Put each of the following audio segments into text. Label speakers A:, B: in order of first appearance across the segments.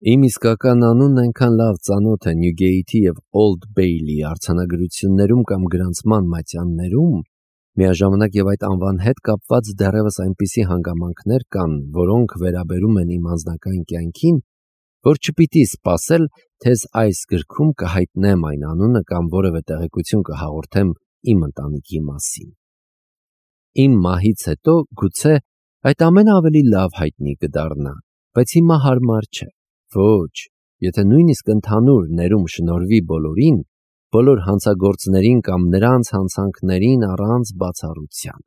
A: Իմ իսկական անունն այնքան լավ ծանոթ է Նյուգեյթի և Օլդ Բեյլի արձանագրություններում կամ գրանցման մատյաններում, միաժամանակ և այդ անվան հետ կապված դեռևս այնպիսի հանգամանքներ կան, որոնք վերաբերում են իմ անձնական կյանքին, որ չպիտի սպասել, թե այս գրքում կհայտնեմ այն անունը կամ որևէ տեղեկություն կհաղորդեմ իմ ընտանիքի մասին։ Իմ մահից հետո գուցե այդ ամենը ավելի լավ հայտնի կդառնա, բայց հիմա հարմար չէ։ Ոչ, եթե նույնիսկ ընդհանուր ներում շնորհվի բոլորին, բոլոր հանցագործներին կամ նրանց հանցանքներին առանց բացառության։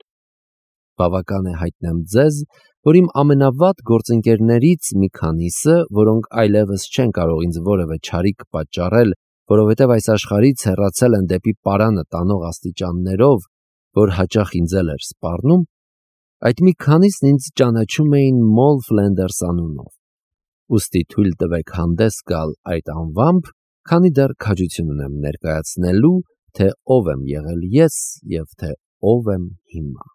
A: Բավական է հայտնեմ ձեզ, որ իմ ամենավատ գործընկերներից մի քանիսը, որոնք այլևս չեն կարող ինձ որևէ չարիք պատճառել, որովհետև այս աշխարհից հեռացել են դեպի պարանը տանող աստիճաններով, որ հաճախ ինձ էլ էր սպառնում, այդ մի քանիսն ինձ ճանաչում էին Մոլ Ֆլենդերս անունով։ Ուստի թույլ տվեք հանդես գալ այդ անվամբ, քանի դեռ քաջություն ունեմ ներկայացնելու, թե ով եմ եղել ես և թե ով եմ հիմա։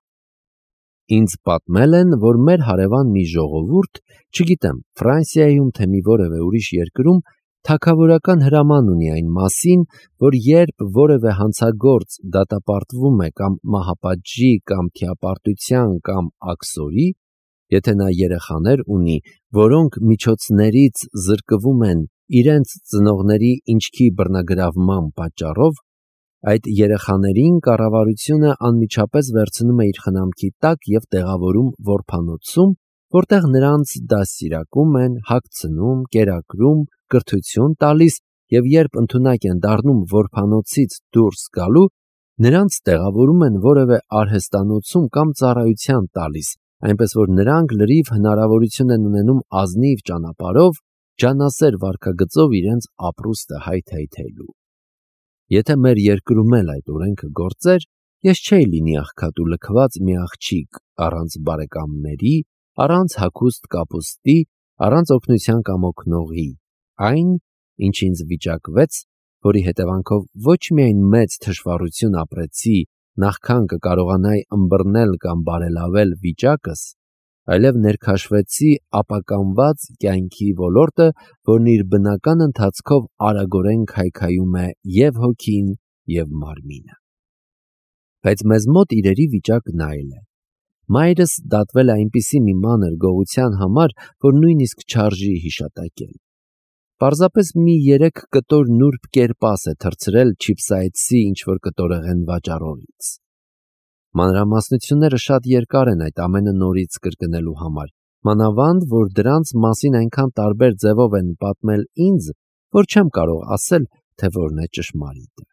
A: Ինձ պատմել են, որ մեր հարևան մի ժողովուրդ, չգիտեմ Ֆրանսիայում թե մի որևէ ուրիշ երկրում, թագավորական հրաման ունի այն մասին, որ երբ որևէ հանցագործ դատապարտվում է կամ մահապատժի կամ թիապարտության կամ աքսորի, եթե նա երեխաներ ունի, որոնք միջոցներից զրկվում են իրենց ծնողների ինչքի բռնագրավման պատճառով, այդ երեխաներին կառավարությունը անմիջապես վերցնում է իր խնամքի տակ և տեղավորում որբանոցում, որտեղ նրանց դաստիարակում են, հագցնում, կերակրում, կրթություն տալիս և երբ ընդունակ են դառնում որբանոցից դուրս գալու, նրանց տեղավորում են որևէ արհեստանոցում կամ ծառայության տալիս, այնպես որ նրանք լրիվ հնարավորություն են ունենում ազնիվ ճանապարհով, ջանասեր վարքագծով իրենց ապրուստը հայթայթելու։ Եթե մեր երկրում էլ այդ օրենքը գործեր, ես չէի լինի աղքատ ու լքված մի աղջիկ առանց բարեկամների, առանց հագուստ կապուստի, առանց օգնության կամ օգնողի, այն, ինչ ինձ վիճակվեց, որի հետևանքով ոչ միայն մեծ թշվառություն ապրեցի, նախքան կկարողանայի ըմբռնել կամ բարելավել վիճակս, այլև ներքաշվեցի ապականված կյանքի ոլորտը, որն իր բնական ընթացքով արագորեն քայքայում է և հոգին, և մարմինը։ Բայց մեզ մոտ իրերի վիճակն այլ է։ Մայրս դատվել է այնպիսի մի մանր գողության համար, որ նույնիսկ չարժի հիշատակել։ Պարզապես մի 3 կտոր նուրբ կերպաս է թռցրել չիփսայեցի ինչ-որ կտորեղեն վաճառողից։ Մանրամասնությունները շատ երկար են այդ ամենը նորից կրկնելու համար, մանավանդ, որ դրանց մասին այնքան տարբեր ձևով են պատմել ինձ, որ չեմ կարող ասել, թե որն է ճշմարիտը։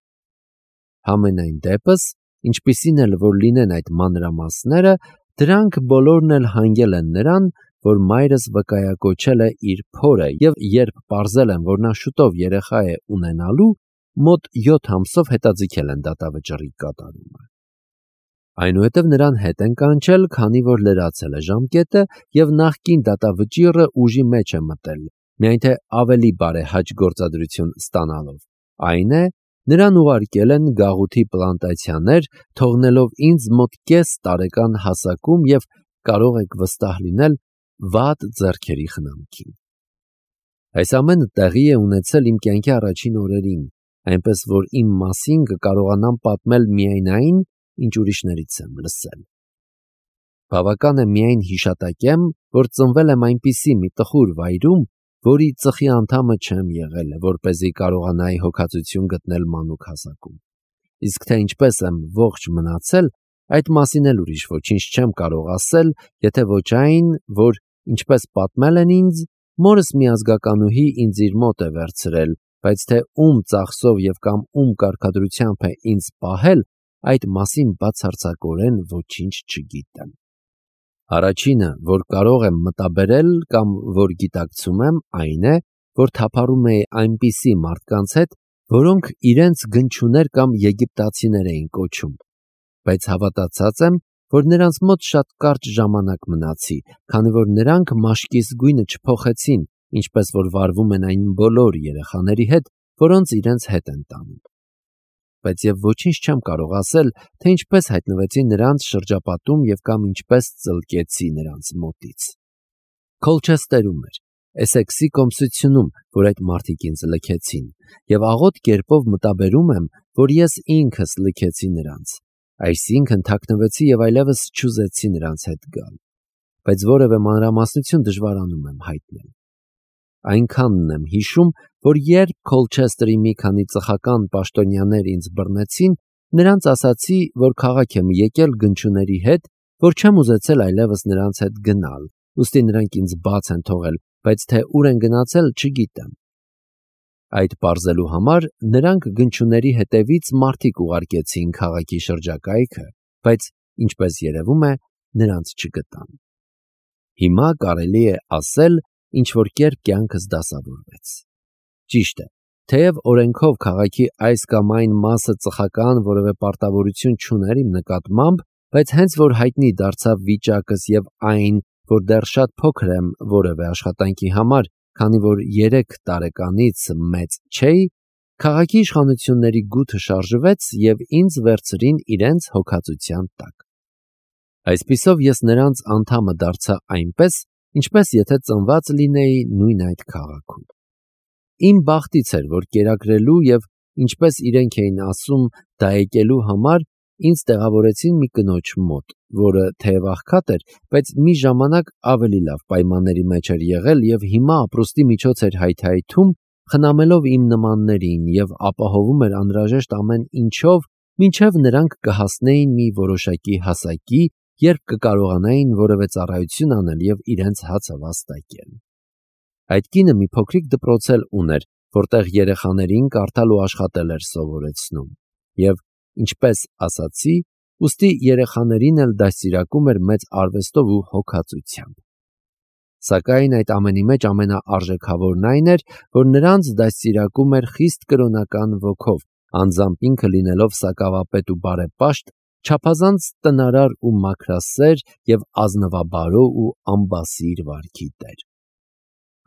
A: Համենայն դեպս, ինչպիսին էլ որ լինեն այդ մանրամասները, դրանք բոլորն էլ հանգել են նրան, որ մայրս վկայակոչել է իր փորը և երբ պարզել են, որ նա շուտով երեխա է ունենալու, մոտ 7 ամսով հետաձգել են դատավճռի կատարումը։ Այնուհետև նրան հետ են կանչել, քանի որ լրացել է ժամկետը և նախկին դատավճիռը ուժի մեջ է մտել, միայն թե ավելի բարեհաճ գործադրություն ստանալով, այն է, նրան ուղարկել են գաղութի պլանտացիաներ, թողնելով ինձ մոտ կես տարեկան հասակում և կարող եք վստահ լինել վատ ձեռքերի խնամքին։ Այս ամենը տեղի է ունեցել իմ կյանքի առաջին օրերին, այնպես որ իմ մասին կկարողանամ պատմել միայն այն, ինչ ուրիշներից եմ լսել։ Բավական է միայն հիշատակեմ, որ ծնվել եմ այնպիսի մի տխուր վայրում, որի ծխի անդամը չեմ եղել, որպեսզի կարողանայի հոգածություն գտնել մանուկ հասակում։ Իսկ թե ինչպես եմ ողջ մնացել, այդ մասին էլ ուրիշ ոչինչ չեմ կարող ասել, եթե ոչ այն, որ, ինչպես պատմել են ինձ, մորս մի ազգականուհի ինձ իր մոտ է վերցրել, բայց թե ում ծախսով և կամ ում կարգադրությամբ է ինձ պահել, այդ մասին բացարձակորեն ոչինչ չգիտեմ։ Առաջինը, որ կարող եմ մտաբերել կամ որ գիտակցում եմ, այն է, որ թափառում էի այնպիսի մարդկանց հետ, որոնք իրենց գնչուներ կամ եգիպտացիներ էին կոչում, բայց հավատացած եմ, որ նրանց մոտ շատ կարճ ժամանակ մնացի, քանի որ նրանք մաշկիս գույնը չփոխեցին, ինչպես որ վարվում են այն բոլոր երեխաների հետ, որոնց իրենց հետ են տանում։ Բայց և ոչինչ չեմ կարող ասել, թե ինչպես հայտնվեցի նրանց շրջապատում և կամ ինչպես ծլկեցի նրանց մոտից։ Քոլչեստերում էր, Էսեքսի կոմսությունում, որ այդ մարդիկ ինձ լքեցին, եւ աղոտ կերպով մտաբերում եմ, որ ես ինքս լքեցի նրանց, այսինքն թաքնվեցի եւ այլևս չուզեցի նրանց հետ գալ, բայց որևէ մանրամասնություն դժվարանում եմ հայտնել։ Այնքանն եմ հիշում, որ երբ Քոլչեսթերի մի քանի ծխական պաշտոնյաներ ինձ բռնեցին, նրանց ասացի, որ քաղաք եմ եկել գնչուների հետ, որ չեմ ուզեցել այլևս նրանց հետ գնալ, ուստի նրանք ինձ բաց են թողել, բայց թե ուր են գնացել չգիտեմ։ Այդ պարզելու համար նրանք գնչուների հետևից մարդիկ ուղարկեցին քաղաքի շրջակայքը, բայց ինչպես երևում է, նրանց չգտան։ Հիմա կարելի է ասել, ինչ որ կերպ կյանքս դասավորվեց։ Ճիշտ է, թեև օրենքով քաղաքի այս կամ այն մասը ծխական որևէ պարտավորություն չուներ իմ նկատմամբ, բայց հենց որ հայտնի դարձավ վիճակս եւ այն, որ դեռ շատ փոքր եմ որևէ աշխատանքի համար, քանի որ 3 տարեկանից մեծ չէի, քաղաքի իշխանությունների գութը շարժվեց եւ ինձ վերցրին իրենց հոգացության տակ։ Այսպիսով ես նրանց անդամը դարձա այնպես, ինչպես եթե ծնված լինեի նույն այդ քաղաքում։ Իմ բախտից էր, որ կերակրելու եւ ինչպես իրենք էին ասում, դայեկելու համար ինձ տեղավորեցին մի կնոջ մոտ, որը թեև աղքատ էր, բայց մի ժամանակ ավելի լավ պայմանների մեջ էր եղել եւ հիմա ապրուստի միջոց էր հայթայթում, խնամելով իմ նմաններին եւ ապահովում էր անհրաժեշտ ամեն ինչով, մինչեւ նրանք կհասնեին մի որոշակի հասակի, երբ կկարողանային որևէ ծառայություն անել եւ իրենց հացը վաստակել։ Այդ կինը մի փոքրիկ դպրոց էլ ուներ, որտեղ երեխաներին կարդալ ու աշխատել էր սովորեցնում, եւ ինչպես ասացի, ուստի երեխաներին էլ դաստիարակում էր մեծ արվեստով ու հոգացությամբ։ Սակայն այդ ամենի մեջ ամենաարժեքավորն այն էր, որ նրանց դաստիարակում էր խիստ կրոնական ոգով, անձամբ ինքը լինելով սակավապետ ու բարեպաշտ, չափազանց տնարար ու մաքրասեր եւ ազնվաբարո ու ամբասիր վարքի տեր։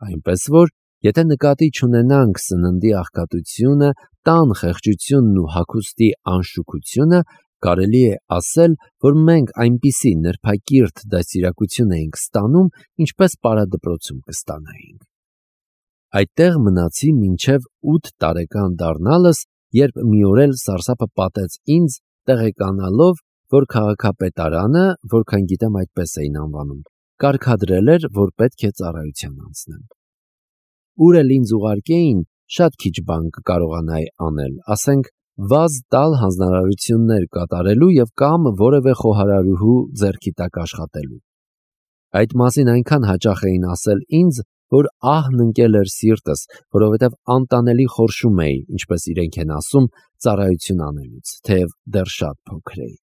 A: Այնպես որ, եթե նկատի չունենանք սննդի աղքատությունը, տան խեղճությունն ու հագուստի անշուքությունը, կարելի է ասել, որ մենք այնպիսի նրբակիրթ դաստիարակություն էինք ստանում, ինչպես պարադպրոցում կստանայինք։ Այդտեղ մնացի մինչև 8 տարեկան դառնալս, երբ մի օր էլ սարսափը պատեց ինձ, տեղեկանալով, որ քաղաքապետարանը, որքան գիտեմ այդպես էին անվանում, կարգադրել էր, որ պետք է ծառայության անցնեմ։ Ուր էլ ինձ ուղարկեին, շատ քիչ բան կկարողանայի անել, ասենք վազ տալ հանձնարարություններ կատարելու եւ կամ որևէ խոհարարուհու ձեռքի տակ աշխատելու։ Այդ մասին այնքան հաճախ էին ասել ինձ, որ ահն ընկել էր սիրտս, որովհետև անտանելի խորշում էի, ինչպես իրենք են ասում, ծառայություն անելուց, թեև դեռ շատ փոքր էի։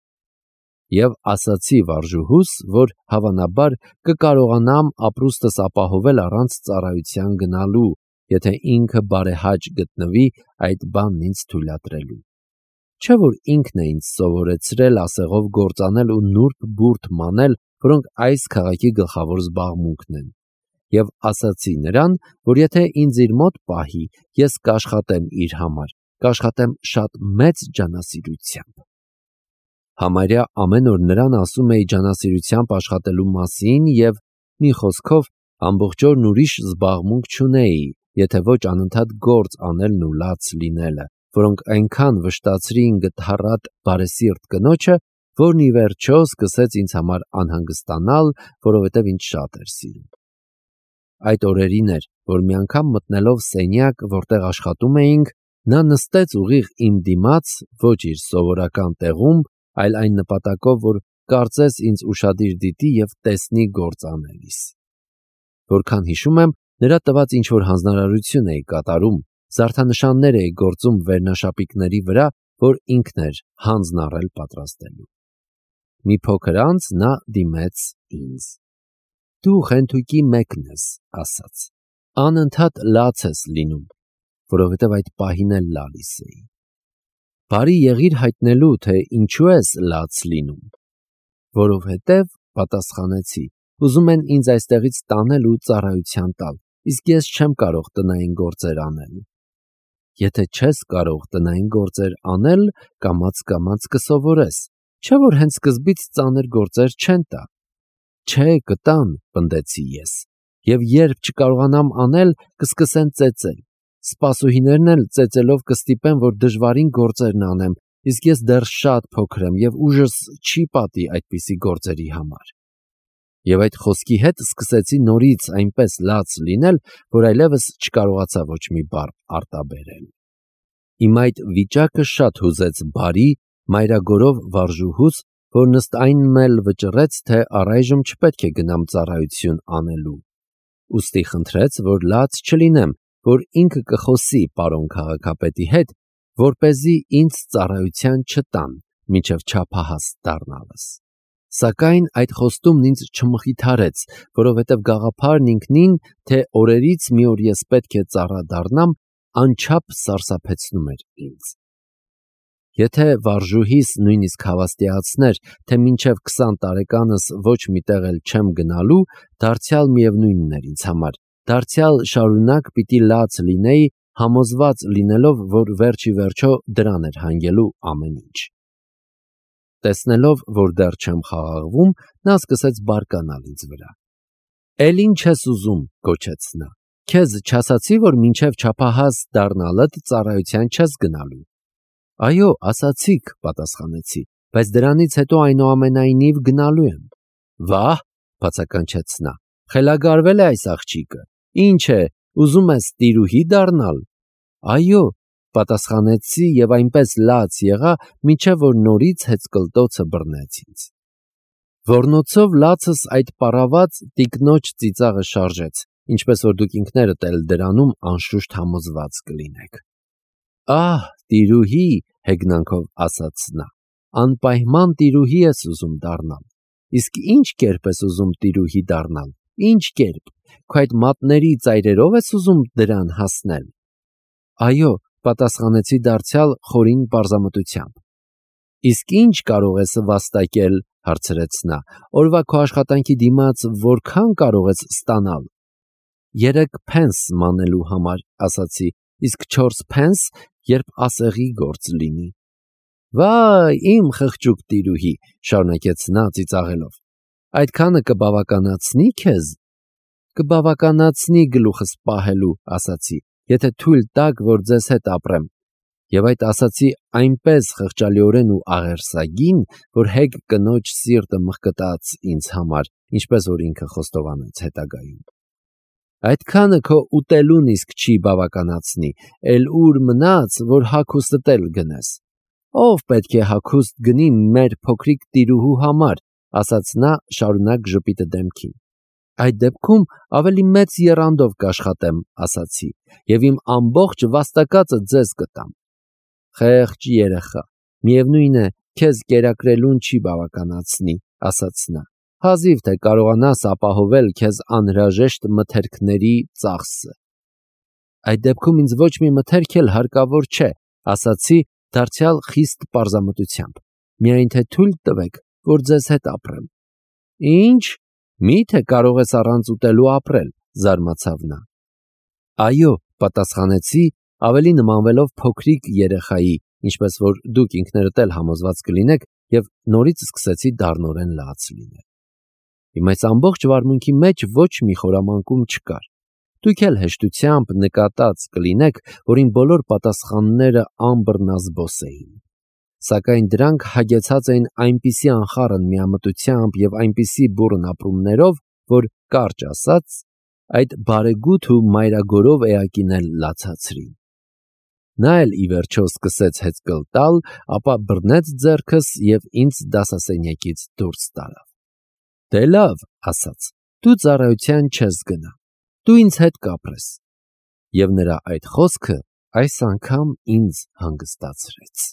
A: Եվ ասացի վարժուհուս, որ հավանաբար կկարողանամ ապրուստս ապահովել առանց ծառայության գնալու, եթե ինքը բարեհաճ գտնվի այդ բանն ինձ թույլատրելու։ Չէ՞ որ ինքն է ինձ սովորեցրել ասեղով գործանել ու նուրբ բուրդ մանել, որոնք այս քաղաքի գլխավոր զբաղմունքն են։ Եվ ասացի նրան, որ եթե ինձ իր մոտ պահի, ես կաշխատեմ իր համար, կաշխատեմ շատ մեծ ջանասիրությամբ։ Համարյա ամեն օր նրան ասում էի ջանասիրությամբ աշխատելու մասին եւ մի խոսքով ամբողջ օրն ուրիշ զբաղմունք չունեի, եթե ոչ անընդհատ գործ անելն ու լաց լինելը, որոնք այնքան վշտացրին գթառատ բարեսիրտ կնոջը, որն ի վերջո սկսեց ինձ համար անհանգստանալ, որովհետև ինձ շատ էր սիրում։ Այդ օրերին էր, որ մի անգամ մտնելով սենյակ, որտեղ աշխատում էինք, նա նստեց ուղիղ իմ դիմաց, ոչ իր սովորական տեղում, այլ այն նպատակով, որ կարծես ինձ ուշադիր դիտի եւ տեսնի գործ անելիս։ Որքան հիշում եմ, նրա տված ինչ-որ հանձնարարություն էի կատարում, զարդանշաններ էի գործում վերնաշապիկների վրա, որ ինքն էր հանձն առել պատրաստելու։ Մի փոքր անց նա դիմեց ինձ։ Դու խենթույկի մեկն ես, ասաց։ Անընդհատ լաց ես լինում, որովհետև այդ պահին էլ լալիս էի։ Բարի եղիր հայտնելու, թե ինչու ես լաց լինում։ Որովհետև, պատասխանեցի, ուզում են ինձ այստեղից տանել ու ծառայության տալ, իսկ ես չեմ կարող տնային գործեր անել։ Եթե չես կարող տնային գործեր անել, կամաց կսովորես, չէ՞ որ հենց սկզբից ծանր գործեր չեն տա։ Չէ, կտան, պնդեցի ես, եւ երբ չկարողանամ անել, կսկսեն ծեծել։ Սպասուհիներն էլ ծեծելով կստիպեն, որ դժվարին գործերն անեմ, իսկ ես դեռ շատ փոքր եմ եւ ուժս չի պատի այդպիսի գործերի համար։ Եվ այդ խոսքի հետ սկսեցի նորից այնպես լաց լինել, որ այլևս չկարողացա ոչ մի բառ արտաբերել։ Իմ այդ վիճակը շատ հուզեց բարի, մայրագորով վարժուհուց, որ նստ այնն էլ վճռեց, թե առայժմ չպետք է գնամ ծառայություն անելու։ Ուստի խնդրեց, որ լաց չլինեմ, որ ինքը կխոսի պարոն քաղաքապետի հետ, որպեսզի ինձ ծառայության չտան, մինչև չափահաս դառնալս։ Սակայն այդ խոստումն ինձ չմխիթարեց, որովհետև գաղափարն ինքնին, թե օրերից մի օր ես պետք է ծառա դառնամ, անչափ սարսափեցնում էր ինձ։ Եթե վարժուհիս նույնիսկ հավաստիացներ, թե մինչև 20 տարեկանս ոչ մի տեղ էլ չեմ գնալու, դարձյալ միևնույնն էր ինձ համար, դարձյալ շարունակ պիտի լաց լինեի, համոզված լինելով, որ վերջի վերջո դրան էր հանգելու ամեն ինչ։ Տեսնելով, որ դեռ չեմ խաղաղվում, նա սկսեց բարկանալ ինձ վրա։ «Էլ ինչ ես ուզում», գոչեց նա։ «Քեզ չասացի, որ մինչև չափահաս դառնալդ ծառայության չես գնալու»։ «Այո, ասացիք», պատասխանեցի, «բայց դրանից հետո այնուամենայնիվ գնալու եմ»։ «Վահ», բացականչեց նա, «խելագարվել է այս աղջիկը։ Ինչ է, ուզում ես տիրուհի դառնալ»։ «Այո», պատասխանեցի եւ այնպես լաց եղա, մինչև որ նորից հեծկլտոցը բռնեց ինձ։ Ոռնոցով լացս այդ պառաված տիկնոջ ծիծաղը շարժեց, ինչպես որ դուք ինքներդ էլ դրանում անշուշտ համոզված կլինեք։ «Ահ, տիրուհի», հեգնանքով ասաց նա, «անպայման տիրուհի ես ուզում դառնալ։ Իսկ ինչ կերպ ես ուզում տիրուհի դառնալ, ինչ կերպ, քո այդ մատների ծայրերով ես ուզում դրան հասնել»։ «Այո», պատասխանեցի դարձյալ խորին պարզամտությամբ։ «Իսկ ինչ կարող ես վաստակել», հարցրեց նա, «օրվա քո աշխատանքի դիմաց որքան կարող ես ստանալ»։ 3 փենս մանելու համար, ասացի, իսկ 4 փենս, երբ ասեղի գործ լինի։ «Վայ, իմ խղճուկ տիրուհի», շարունակեց նա ծիծաղելով, «այդքանը կբավականացնի քեզ»։ «Կբավականացնի գլուխս պահելու», ասացի, «եթե թույլ տաք, որ ձեզ հետ ապրեմ»։ Եվ այդ ասացի այնպես խղճալիորեն ու աղերսագին, որ հեգ կնոջ սիրտը մղկտաց ինձ համար, ինչպես որ ինքը խոստովանեց հետագայում։ «Այդքանը քո ուտելուն իսկ չի բավականացնի, էլ ուր մնաց, որ հագուստդ էլ գնես»։ «Ով պետք է հագուստ գնի մեր փոքրիկ տիրուհու համար», ասաց նա շարունակ ժպիտը դեմքին։ «Այդ դեպքում ավելի մեծ եռանդով կաշխատեմ», ասացի, «եւ իմ ամբողջ վաստակածը ձեզ կտամ»։ «Խեղճ երեխա, միևնույն է, քեզ կերակրելուն չի բավականացնի», ասաց նա, «հազիվ թե կարողանաս ապահովել քեզ անհրաժեշտ մթերքների ծախսը»։ «Այդ դեպքում ինձ ոչ մի մթերք էլ հարկավոր չէ», ասացի դարձյալ խիստ պարզամտությամբ, «միայն թե թույլ տվեք, որ ձեզ հետ ապրեմ»։ «Ինչ, մի՞թե կարող ես առանց ուտելու ապրել», զարմացավ նա։ «Այո», պատասխանեցի, ավելի նմանվելով փոքրիկ երեխայի, ինչպես որ դուք ինքներդ էլ համոզված կլինեք, եւ նորից սկսեցի դառնորեն լաց լինել։ Իմ այս ամբողջ վարմունքի մեջ ոչ մի խորամանկում չկար։ Դուք էլ հեշտությամբ նկատած կլինեք, որ իմ բոլոր պատասխանները անբռնազբոս էին։ Սակայն դրանք հագեցած էին այնպիսի անխառն միամտությամբ եւ այնպիսի բուռն ապրումներով, որ կարճ ասած, այդ բարեգութ ու մայրագորով էակին էլ լացացրին։ Նա էլ ի վերջո սկսեց հեծկլտալ, ապա բռնեց ձեռքս եւ ինձ դասասենյակից դուրս տարավ։ «Դե լավ», ասաց, «դու ծառայության չես գնա, դու ինձ հետ կապրես»։ Եվ նրա այդ խոսքը այս անգամ ինձ հանգստացրեց։